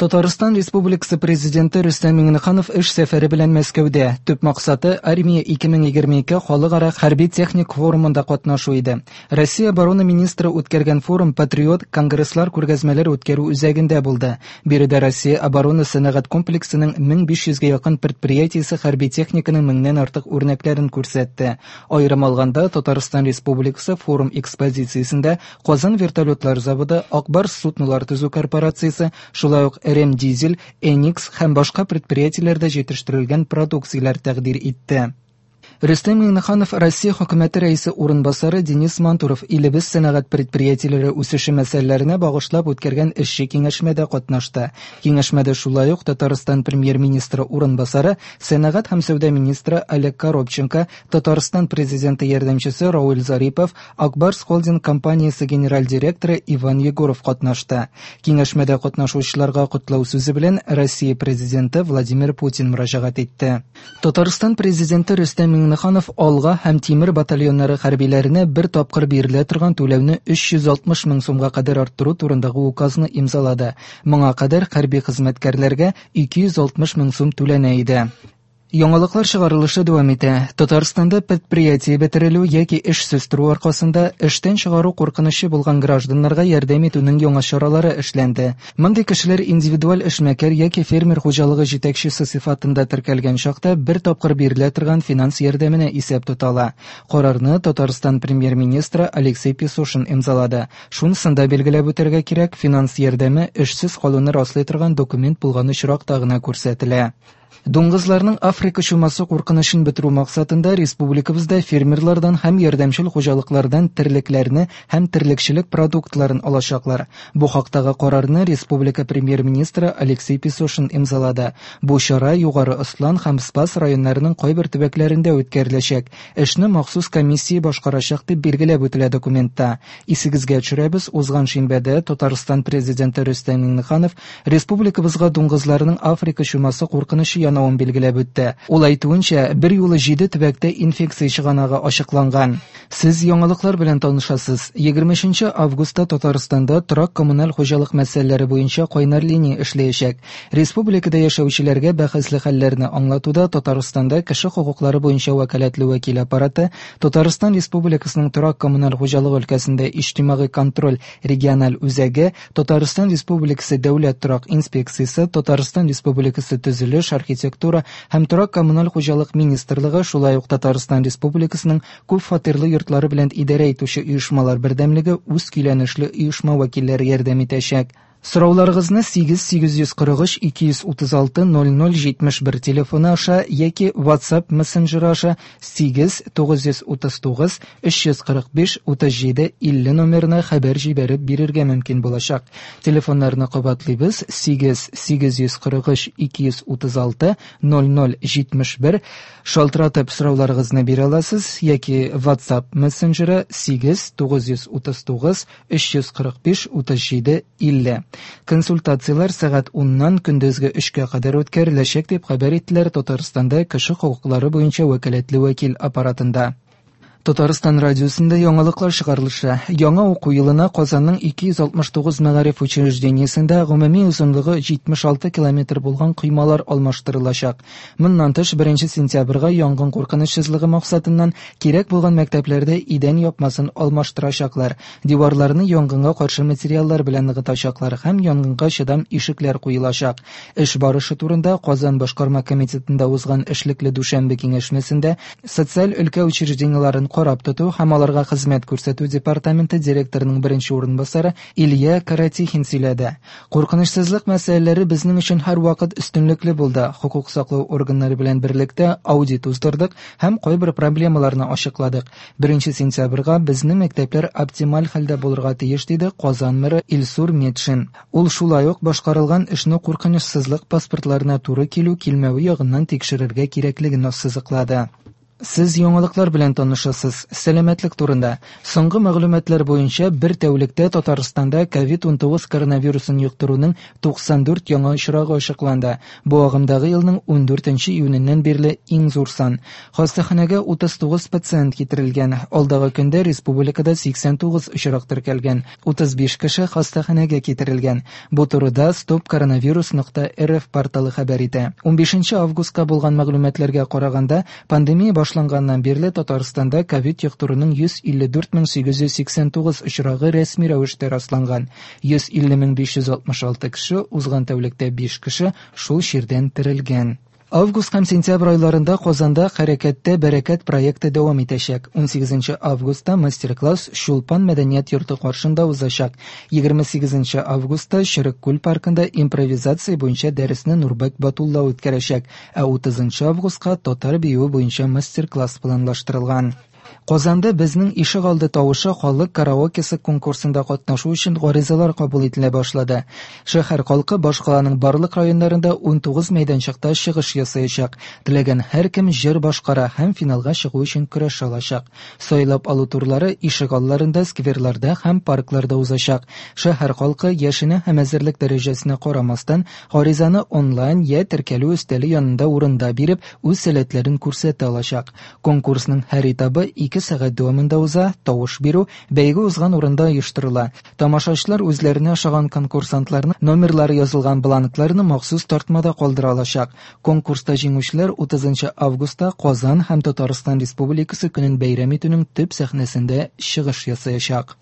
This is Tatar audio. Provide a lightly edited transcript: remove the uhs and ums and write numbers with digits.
Татарстан Республикасы Президенты Рөстәм Миңнеханов эш сәфәре белән Мәскәүдә. Төп максаты Армия 2022 халыкара хәрби-техник форумында катнашу иде. Россия оборона министры үткәргән форум Патриот конгресслар күргәзмәләр үткәрү үзәгендә булды. Биредә Россия оборона сәнәгать комплексының 1500 гә якын предприятиесе хәрби техниканың меңнән артык үрнәкләрен күрсәтте. Аерым алганда, Татарстан Республикасы форум экспозициясендә Казан вертолетлар заводы, Ак Барс суднолар төзү корпорациясе, шулай ук Ремдизель, Эникс һәм башка предприятиеләрдә җитештерелгән продукцияләр тәкъдир итте. Рөстәм Миңнеханов Россия Хөкүмәте Рәисе урынбасары Денис Мантуров илебез сәнәгать предприятиеләре үсеше мәсьәләләренә багышлап үткәргән эшче киңәшмәдә катнашты. Киңәшмәдә шулай ук Татарстан Премьер-министры урынбасары, сәнәгать һәм сәүдә министры Олег Коробченко, Татарстан Президенты ярдәмчесе Рауил Зарипов, Ак Барс Холдинг компаниясе генераль директоры Иван Егоров катнашты. Киңәшмәдә катнашучыларга котлау сүзе белән Россия Президенты Владимир Путин мөрәҗәгать итте. Татарстан Президенты Рөстәм Миңнеханов Алга һәм Тимер батальоннары хәрбиләренә бер тапкыр бирелә торган түләүне 360 мең сумга кадәр арттыру турындагы указны имзалады. Моңа кадәр хәрби хезмәткәрләргә 260 мең сум түләнә иде. Яңалыклар чыгарылышы дәвам итә. Татарстанда предприятие бетерелү яки эшсез тору аркасында эштән чыгару куркынычы булган гражданнарга ярдәм итүнең яңа чаралары эшләнде. Мондый кешеләр индивидуаль эшмәкәр яки фермер хуҗалыгы җитәкчесе сыйфатында теркәлгән чакта бер тапкыр бирелә торган финанс ярдәменә исәп тота ала. Карарны Татарстан Премьер-министры Алексей Песошин имзалады. Шунысын да билгеләп үтәргә кирәк, финанс ярдәме эшсез калуны раслый торган документ булган очракта гына күрсәтелә. Дуңгызларның Африка чумасы куркынычын бетерү максатында республикабызда фермерлардан һәм ярдәмчел хуҗалыклардан терлекләрне һәм терлекчелек продуктларын алачаклар. Бу хактагы карарны республика премьер-министры Алексей Песошин имзалады. Бу чара Югары Ослан һәм Спас районнарының кайбер төбәкләрендә үткәреләчәк. Эшне махсус комиссия башкарачак, дип билгеләп үтелә документта. Исегезгә төшерәбез, узган шимбәдә Татарстан Президенты Рөстәм Миңнеханов республикабызга дуңгызларның Африка чумасы куркынычы янавын билгеләп үтте. Ул әйтүенчә, берьюлы җиде төбәктә инфекция чыганагы ачыкланган. Сез яңалыклар белән танышасыз. 23 августта Татарстанда торак-коммуналь хуҗалык мәсьәләләре буенча кайнар линия эшләячәк. Республикада яшәүчеләргә бәхәсле хәлләрне аңлатуда Татарстанда кеше хокуклары буенча вәкаләтле вәкил аппараты, Татарстан Республикасының торак-коммуналь хуҗалык өлкәсендә иҗтимагый контроль региональ үзәге, Татарстан Республикасы Дәүләт торак инспекциясе, Татарстан Республикасы Төзелеш, архитектура һәм торак-коммуналь хуҗалык министрлыгы, шулай ук Татарстан Республикасының күп фатирлы йортлары белән идарә итүче оешмалар бердәмлеге үз көйләнешле оешма вәкилләре ярдәм итәчәк. Сорауларыгызны 8 843 236 00 71 телефоны аша яки WhatsApp мессенджеры аша 8 939 345 37 50 номерына хәбәр җибәреп бирергә мөмкин булачак. Телефоннарны кабатлыйбыз: 8 843 236 00 71. Шалтыратып сорауларыгызны бирә аласыз яки WhatsApp мессенджеры 8 939 345 37 50. Консультацияләр сәгать 10-нан көндезге 3-кә кадәр үткәреләчәк, дип хәбәр иттеләр Татарстанда кеше хокуклары буенча вәкаләтле вәкил аппаратында. Татарстан радиосында яңалыклар чыгарылышы. Яңа уку елына Казанның 269 мәгариф учреждениесендә гомуми озынлыгы 76 километр булган коймалар алмаштырылачак. Моннан тыш, 1 сентябрьгә янгын куркынычсызлыгы максатыннан кирәк булган мәктәпләрдә идән япмасын алмаштырачаклар, диварларны янгынга каршы материаллар белән ныгытачаклар һәм янгынга чыдам ишекләр куелачак. Эш барышы турында Казан башкарма комитетында узган эшлекле дүшәмбе киңәшмәсендә социаль өлкә учреждениеләрен карап тоту һәм аларга хезмәт күрсәтү департаменты директорының беренче урынбасары Илья Каратихин сөйләде. Куркынычсызлык мәсьәләләре безнең өчен һәрвакыт өстенлекле булды. Хокук саклау органнары белән берлектә аудит уздырдык һәм кайбер проблемаларны ачыкладык. Беренче сентябрьгә безнең мәктәпләр оптималь хәлдә булырга тиеш, диде Казан мэры Илсур Метшин. Ул шулай ук башкарылган эшне куркынычсызлык паспортларына туры килү-килмәве ягыннан тикшерергә кирәклеген ассызыклады. Сез яңалыклар белән танышасыз. Сәламәтлек турында. Соңгы мәгълүматлар буенча, бер тәүлектә Татарстанда COVID-19 коронавирусын йоктыруның 94 яңа очрагы ачыкланды. Бу агымдагы елның 14 июненнән бирле иң зур сан. Хастаханәгә 39 пациент китерелгән. Алдагы көндә республикада 89 очрак теркәлгән. 35 кеше хастаханәгә китерелгән. Бу турыда stopcoronavirus.rf порталы хәбәр итә. 15 августка булган мәгълүматларга караганда, пандемия башланганнан бирле Татарстанда ковид йоктыруның 154 889 очрагы рәсми рәвештә расланган. 150 566 кеше, узган тәүлектә 5 кеше шул чирдән терелгән. Август һәм сентябрь айларында Казанда Хәрәкәттә бәрәкәт проекты дәвам итәчәк. 18 августта мастер-класс Чулпан мәдәният йорты каршында узачак. 28 августта Черек күл паркында импровизация буенча дәресне Нурбәк Батулла үткәрәчәк, ә 30 августка татар биюе буенча мастер-класс планлаштырылган. Казанда Безнең ишегалды тавышы халык караокесы конкурсында катнашу өчен гаризалар кабул ителә башлады. Шәһәр халкы башкаланың барлык районнарында 19 мәйданчыкта чыгыш ясаячак. Теләгән һәркем җыр башкара һәм финалга чыгу өчен көрәш алачак. Сайлап алу турлары ишегалларында, скверларда һәм паркларда узачак. Шәһәр халкы яшенә һәм әзерлек дәрәҗәсенә карамастан, гаризаны онлайн я теркәлү өстәле янында урында биреп, үз сәләтләрен күрсәтә алачак. Конкурсның һәр этабы 2 сәгать дәвамында уза, тавыш бирү бәйге узган урында оештырыла. Тамашачылар үзләренә ошаган конкурсантларның номерлары язылган бланкларны махсус тартмада калдыра алачак. Конкурста җиңүчеләр 30 августта Казан һәм Татарстан Республикасы көнен бәйрәм итүнең төп сәхнәсендә чыгыш ясаячак.